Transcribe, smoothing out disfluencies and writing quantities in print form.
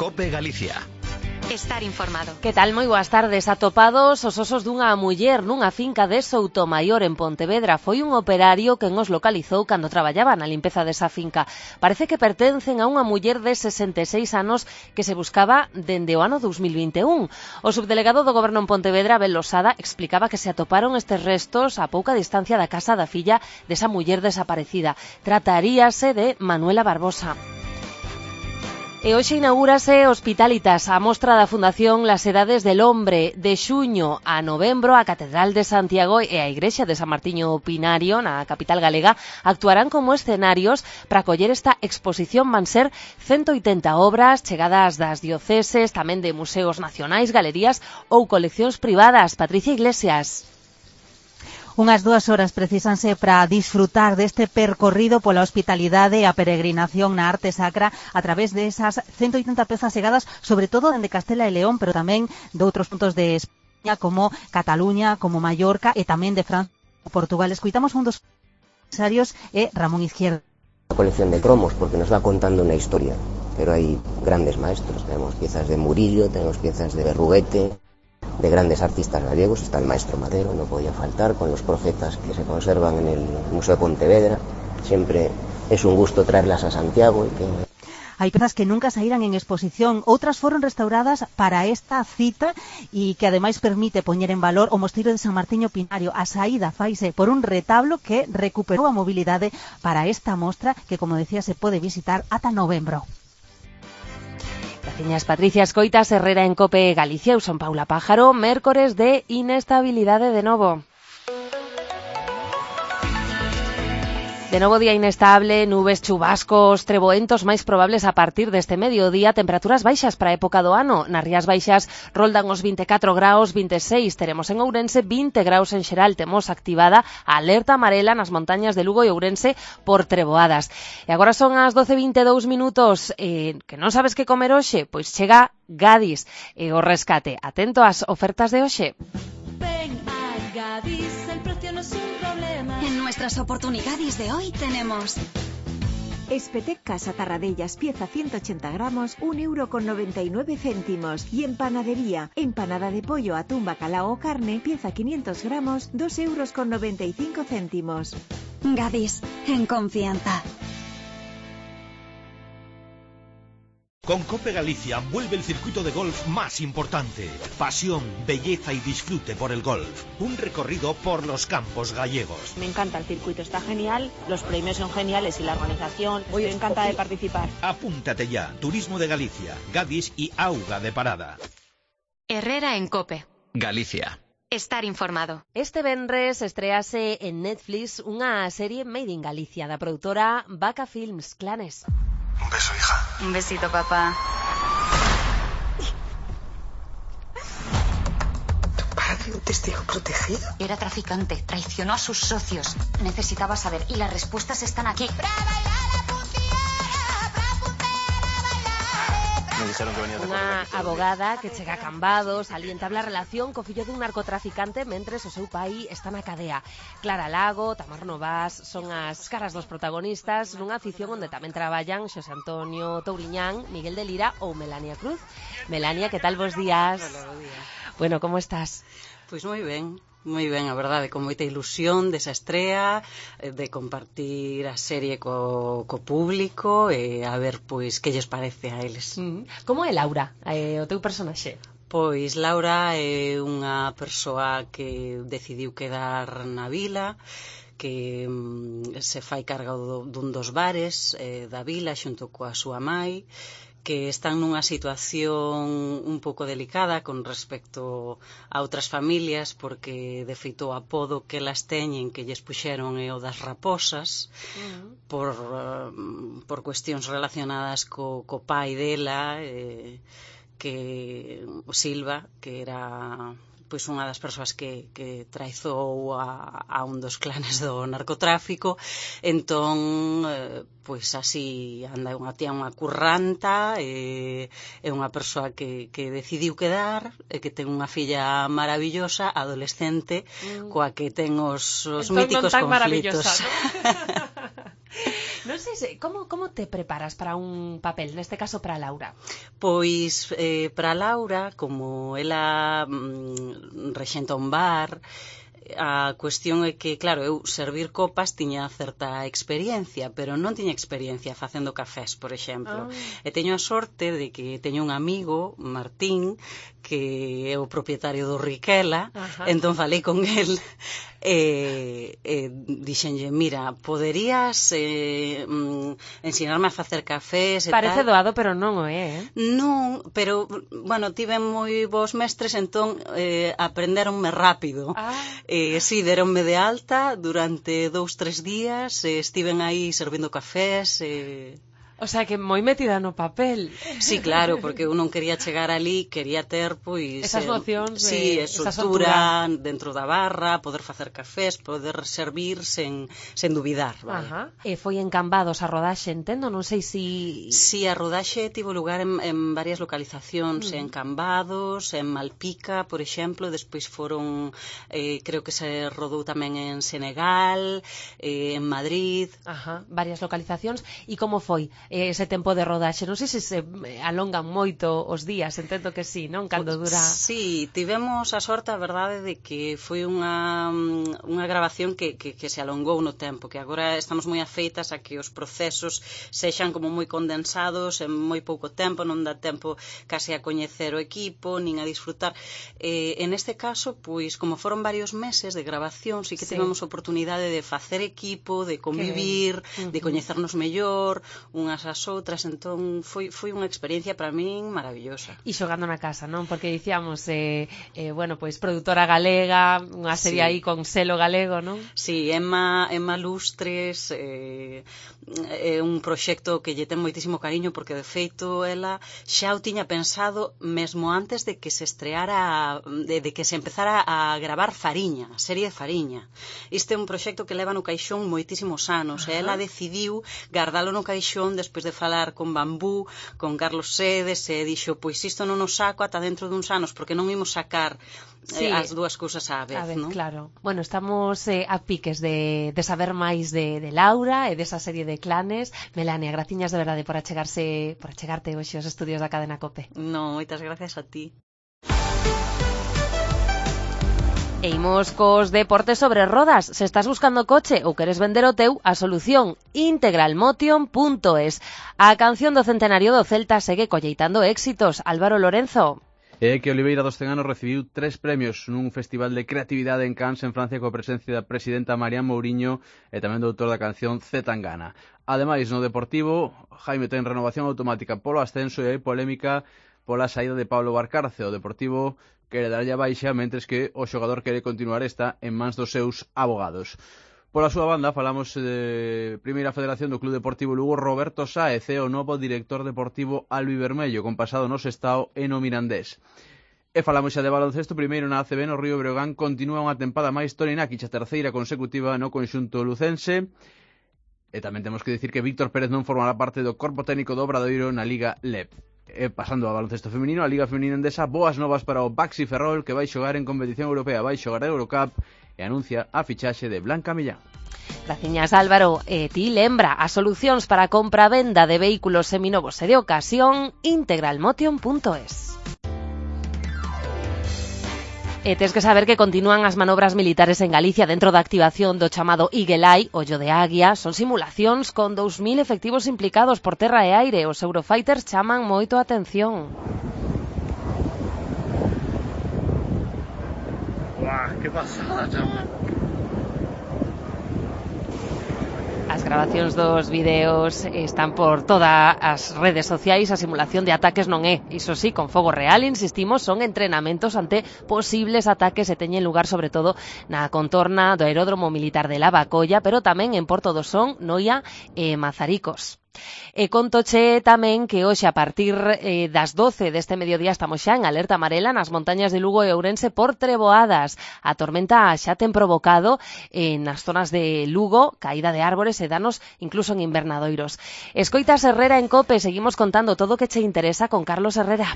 COPE Galicia. Estar informado. Que tal? Moi boas tardes. Atopados os osos dunha muller nunha finca de Soutomaior en Pontevedra. Foi un operario quen os localizou cando traballaba na limpeza desa finca. Parece que pertencen a unha muller de 66 anos que se buscaba dende o ano 2021. O subdelegado do Goberno en Pontevedra, Abel Losada, explicaba que se atoparon estes restos a pouca distancia da casa da filla desa muller desaparecida. Trataríase de Manuela Barbosa. E hoxe inaugúrase Hospitalitas, a mostra da Fundación Las Edades del Hombre. De xuño a novembro, a Catedral de Santiago e a Igrexa de San Martiño Pinario, na capital galega, actuarán como escenarios para acoller esta exposición. Van ser 180 obras chegadas das dioceses, tamén de museos nacionais, galerías ou coleccións privadas. Patricia Iglesias. Unhas 2 horas precisanse para disfrutar deste percorrido pola hospitalidade e a peregrinación na arte sacra a través desas 180 pezas chegadas, sobre todo dende Castela e León, pero tamén de outros puntos de España, como Cataluña, como Mallorca e tamén de Francia e Portugal. Escoitamos un dos empresarios e Ramón Izquierdo. Una colección de cromos, porque nos va contando una historia, pero hay grandes maestros, tenemos piezas de Murillo, tenemos piezas de Berruguete, de grandes artistas gallegos, está el maestro Madero, no podía faltar, con los profetas que se conservan en el Museo de Pontevedra. Siempre es un gusto traerlas a Santiago. Hai pezas que nunca saíran en exposición, outras foron restauradas para esta cita e que ademais permite poñer en valor o mosteiro de San Martiño Pinario. A saída faise por un retablo que recuperou a mobilidade para esta mostra que, como decía, se pode visitar ata novembro. Graciñas, Patricia. Escoitas Herrera en COPE Galicia. Eu son Paula Pájaro. Mércores de inestabilidade de novo. De novo día inestable, nubes, chubascos, treboentos máis probables a partir deste mediodía, temperaturas baixas para a época do ano. Nas Rías Baixas roldan os 24 graus, 26 teremos en Ourense, 20 graus en xeral. Temos activada a alerta amarela nas montañas de Lugo e Ourense por treboadas. E agora son as 12:22 minutos. Que non sabes que comer hoxe? Pois chega Gadis e o rescate. Atento ás ofertas de hoxe. Ven a Gadis, el precio no es un problema. En nuestras oportunidades de hoy tenemos Espetec Casa Tarradellas, pieza 180 gramos, 1,99 €. Y en panadería, empanada de pollo, atún, bacalao o carne, pieza 500 gramos, 2,95 €. Gadis, en confianza. Con COPE Galicia vuelve el circuito de golf más importante. Pasión, belleza y disfrute por el golf. Un recorrido por los campos gallegos. Me encanta el circuito, está genial, los premios son geniales y la organización. Estoy encantada de participar. Apúntate ya. Turismo de Galicia, Gadis y Auga de Parada. Herrera en COPE Galicia. Estar informado. Este venres estrease en Netflix unha serie Made in Galicia da produtora Vaca Films, Clanes. Un beso, hija. Un besito, papá. ¿Tu padre, un testigo protegido? Era traficante, traicionó a sus socios. Necesitaba saber y las respuestas están aquí. Unha abogada que chega a Cambados ali entabla relación co fillo dun narcotraficante mentres o seu pai está na cadea. Clara Lago, Tamar Novas son as caras dos protagonistas nunha ficción onde tamén traballan Xosé Antonio Touriñán, Miguel de Lira ou Melania Cruz. Melania, que tal, bos días? Hola, bos días. Bueno, como estás? Pois moi ben, a verdade, con moita ilusión desa estrea, de compartir a serie co público e a ver, pois, que lles parece a eles. Como é Laura, o teu personaxe? Pois Laura é unha persoa que decidiu quedar na vila, que se fai carga dun dos bares da vila xunto coa súa mai, que están nunha situación un pouco delicada con respecto a outras familias, porque de feito o apodo que elas teñen que lles puxeron é o das raposas, por cuestións relacionadas co pai dela, que Silva, que era pois unha das persoas que traizou a un dos clanes do narcotráfico. Entón, pois así anda unha tía, unha curranta, é unha persoa que decidiu quedar, que ten unha filla maravillosa, adolescente, coa que ten os míticos conflitos. Non sei se, como te preparas para un papel, neste caso para Laura? Pois, para Laura, como ela rexenta un bar, a cuestión é que, claro, eu servir copas tiña certa experiencia, pero non tiña experiencia facendo cafés, por exemplo. E teño a sorte de que teño un amigo, Martín, que é o propietario do Riquela, entón falei con el dixenlle, mira, poderías ensinarme a facer cafés e Parece tal. doado, pero non o é, Non, pero, bueno, tive moi bons mestres, entón aprenderonme rápido. Si, deronme de alta durante 2-3 días, estiven aí servindo cafés. O sea, que moi metida no papel. Sí, claro, porque eu non quería chegar ali, quería ter, pois... Esas nocións de... Sí, soltura dentro da barra, poder facer cafés, poder servir sen dubidar. Vale. E foi en Cambados a rodaxe, entendo? Non sei si... Sí, a rodaxe tivo lugar en varias localizacións, en Cambados, en Malpica, por exemplo, despois foron, creo que se rodou tamén en Senegal, en Madrid... Varias localizacións. E como foi ese tempo de rodaxe? Non sei se alongan moito os días, entendo que sí, non? Cando dura... Sí, tivemos a sorte, a verdade, de que foi unha grabación que se alongou no tempo, que agora estamos moi afeitas a que os procesos sexan como moi condensados en moi pouco tempo, non dá tempo case a coñecer o equipo, nin a disfrutar. En este caso, pois, como foron varios meses de grabación, sí que tivemos oportunidade de facer equipo, de convivir, de coñecernos mellor, unhas as outras, entón foi unha experiencia para min maravillosa. E xogando na casa, non? Porque dicíamos, bueno, pois produtora galega, unha serie aí con selo galego, non? Sí, Emma Lustres, é un proxecto que lle ten moitísimo cariño, porque de feito ela xa o tiña pensado mesmo antes de que se estreara, de que se empezara a gravar Fariña, a serie de Fariña. Este é un proxecto que leva no caixón moitísimos anos, e ela decidiu guardalo no caixón despois de falar con Bambú, con Carlos Sedes, e dixo, pois isto non o saco ata dentro duns anos, porque non imos sacar as dúas cousas á vez, non? Claro. Bueno, estamos a piques de saber máis de Laura e desa serie de Clanes. Melania, graciñas de verdade por achegarte hoxe aos estudios da Cadena COPE. Non, moitas gracias a ti. E imos cos deportes sobre rodas. Se estás buscando coche ou queres vender o teu, a solución integralmotion.es. A canción do centenario do Celta segue colleitando éxitos. Álvaro Lorenzo. É que Oliveira dos 100 anos recibiu 3 premios nun festival de creatividade en Cannes, en Francia, coa presencia da presidenta Marian Mourinho e tamén do autor da canción C. Tangana. Ademais, no Deportivo, Jaime ten renovación automática polo ascenso e hai polémica pola saída de Pablo Barcarce. O Deportivo quere darlle a baixa, mentres que o xogador quere continuar esta en mans dos seus abogados. Pola súa banda, falamos de Primeira Federación do Club Deportivo Lugo. Roberto Sáez é o novo director deportivo albivermello, con pasado no Sestao e no Mirandés. E falamos xa de baloncesto. Primeiro na ACB, no Río Breogán, continúa unha tempada máis Torinaki, a terceira consecutiva no conxunto lucense. E tamén temos que dicir que Víctor Pérez non formará parte do corpo técnico do Obradoiro na Liga LEP. E pasando ao baloncesto feminino, a Liga Feminina Endesa, boas novas para o Baxi Ferrol, que vai xogar en competición europea, vai xogar a Eurocup e anuncia a fichaxe de Blanca Millán. Graciñas, Álvaro. E ti lembra as solucións para a compra-venda de vehículos seminovos e de ocasión, integralmotion.es. E tes que saber que continúan as manobras militares en Galicia dentro da activación do chamado Eagle Eye, ollo de águia. Son simulacións con 2000 efectivos implicados por terra e aire. Os Eurofighters chaman moito a atención. Uah, que pasada, chama. As grabacións dos vídeos están por todas as redes sociais. A simulación de ataques non é, iso sí, con fogo real, insistimos, son entrenamentos ante posibles ataques e teñen lugar sobre todo na contorna do aeródromo militar de Lavacolla, pero tamén en Porto do Son, Noia e Mazaricos. E contoche tamén que hoxe a partir das 12 deste mediodía estamos xa en alerta amarela nas montañas de Lugo e Ourense por treboadas. A tormenta xa ten provocado nas zonas de Lugo caída de árbores e danos incluso en invernadoiros. Escoitas Herrera en COPE, seguimos contando todo o que che interesa con Carlos Herrera.